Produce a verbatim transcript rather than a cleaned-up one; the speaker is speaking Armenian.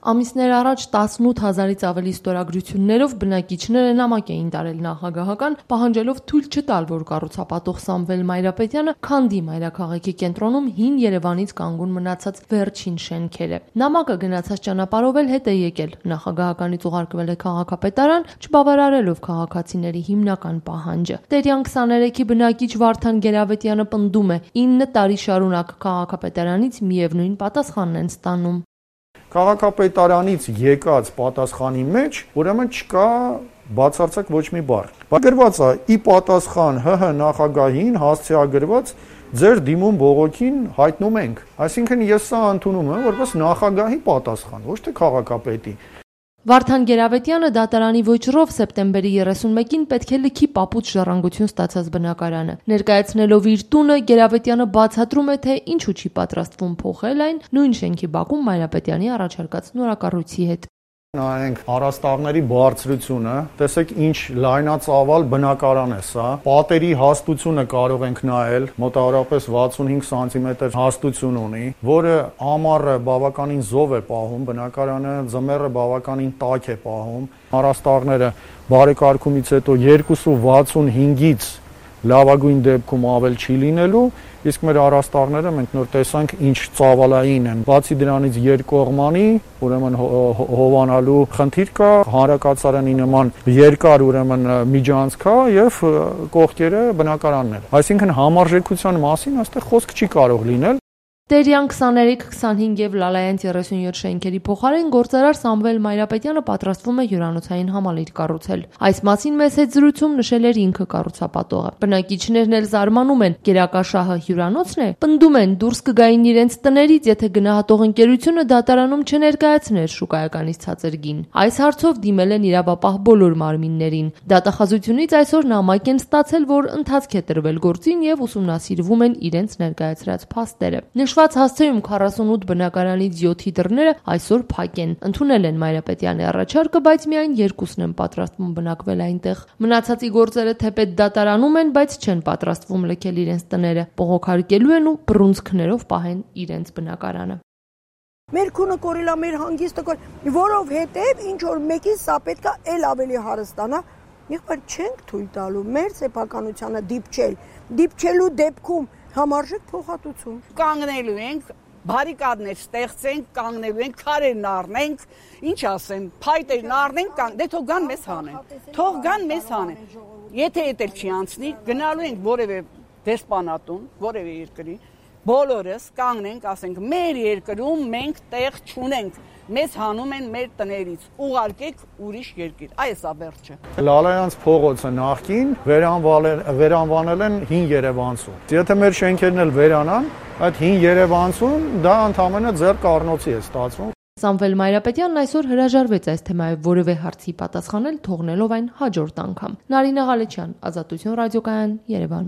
Ամիսներ առաջ տասնութ հազարից ավելի ստորագրություններով բնակիչները նամակ էին տարել նախագահական, պահանջելով թույլ չտալ, որ կառուցապատող Սամվել Մայրապետյանը քանդի մայրաքաղաքի կենտրոնում հին Երևանից կանգուն մնացած վերջին շենքերը։ Նամակը գնացած ճանապարհով էլ հետ է եկել։ Նախագահականից ուղարկվել է քաղաքապետարան, չբավարարելով քաղաքացիների հիմնական պահանջը։ Տերյան քսաներեքի բնակիչ Վարդան Գերավետյանը պնդում է՝ ինը տարի շարունակ քաղաքապետարանից միևնույն պատասխանն են ստանում։ Քաղաքապետարանից եկած պատասխանի մեջ ուրեմն չկա բացարձակ ոչ մի բառ։ Գրված է՝ ի պատասխան ՀՀ նախագահին հասցեագրված ձեր դիմում բողոքին հայտնում ենք։ Այսինքն ես սա ընդունում եմ որպես նախագահի պատասխան, ոչ թե քաղաքապետի։ Վարդան Գերավետյանը դատարանի ոճրով սեպտեմբերի երեսունմեկին պետք է լքի պապուծ ժառանգություն ստացած բնակարանը։ Ներկայացնելով իր տունը, Գերավետյանը բացատրում է, թե ինչու չի պատրաստվում փոխել այն նույն շենքի բակում Մայրապետյանի առաջարկած նորակառույցի հետ։ Նայենք առաստաղների բարձրությունը, տեսեք ինչ լայնածավալ բնակարան է սա, պատերի հաստությունը կարող ենք նայել, մոտավորապես վաթսունհինգ սանտիմետր հաստություն ունի, որը ամառը բավականին զով է պահում բնակարանը, ձմեռը բավականին տաք է պահում, առաստաղները բարեկարգումից հետո երկուսը վաթսունհինգից լավագույն դեպքում ավել չի լինելու, իսկ մեր առաստաղները մենք նոր տեսանք ինչ ծավալային են։ Բացի դրանից երկկողմանի, ուրեմն հովանալու խնդիր կա, հանրակացարանի նման երկար ուրեմն միջանցք կա եւ կողքերը բնակարաններ։ Այսինքն համարժեքության մասին այստեղ խոսք չի կարող լինել։ Տերյան քսաներեք, քսանհինգ եւ Լալայան երեսունյոթ շենքերի փոխարեն գործարար Սամվել Մայրապետյանը պատրաստվում է հյուրանոցային համալիր կառուցել։ Այս մասին մեծ հետ զրույցում նշել էր ինքը կառուցապատողը։ Բնակիչներն էլ զարմանում են, գերակա շահը հյուրանոցն է, պնդում են դուրս կգային իրենց տներից, եթե գնահատող ընկերությունը դատարանում չներկայացներ շուկայականից ցածր գին։ Այս հարցով դիմել են իրավապահ բոլոր մարմիններին։ Դատախազությունից այսօր նամակ են ստացել, որ ընթացք է տրվել գործին եւ ուսումնասիրվում են իրենց ներկայացրած փաստերը։ Նշված հասցեում քառասունութ բնակարանից յոթի դռները այսօր փակ են։ Ընդունել են Մայրապետյանի առաջարկը, բայց միայն երկուսն են պատրաստվում բնակվել այնտեղ։ Մնացածի գործերը թեպետ դատարանում են, բայց չեն պատրաստվում լքել իրենց տները, բողոքարկելու են ու բռունցքներով պահեն իրենց բնակարանը։ Մեր քունը կորիլա, մեր հանգիստը կոր, որովհետև ինչ որ մեկին սա պետքա էլ ավելի հարստանա, եղբայր չենք թույլ տալու մեր սեփականությանը դիպչել, դիպչելու դեպքում համարժեք փոխհատուցում։ Կանգնելու ենք, բարիկադներ ստեղծենք, կանգնելու ենք, քարերն առնենք, ինչ ասեմ, փայտերն առնենք, դե թող գան մեզ հանեն։ Թող գան մեզ հանեն։ Եթե դա չի անցնի, գնալու ենք որևէ դեսպանատուն, որևէ երկրի, բոլորս կանգնենք, ասենք, մեր երկրում մենք տեղ չունենք։ Մեզ հանում են մեր տներից, ուղարկեք ուրիշ երկիր, այս է վերջը։ Լալայանց փողոցը նախկին վերանվանել են հին Երևանցուն։ Եթե մեր շենքերն էլ վերանան, այդ հին Երևանցուն դա ընդհանրապես ձեռք առնոցի է ստացվում։ Սամվել Մայրապետյանն այսօր հրաժարվեց այս թեմայով որևէ հարցի պատասխանել, թողնելով այն հաջորդ անգամ։ Նարինե Ղալեչյան, Ազատություն ռադիոկայան, Երևան։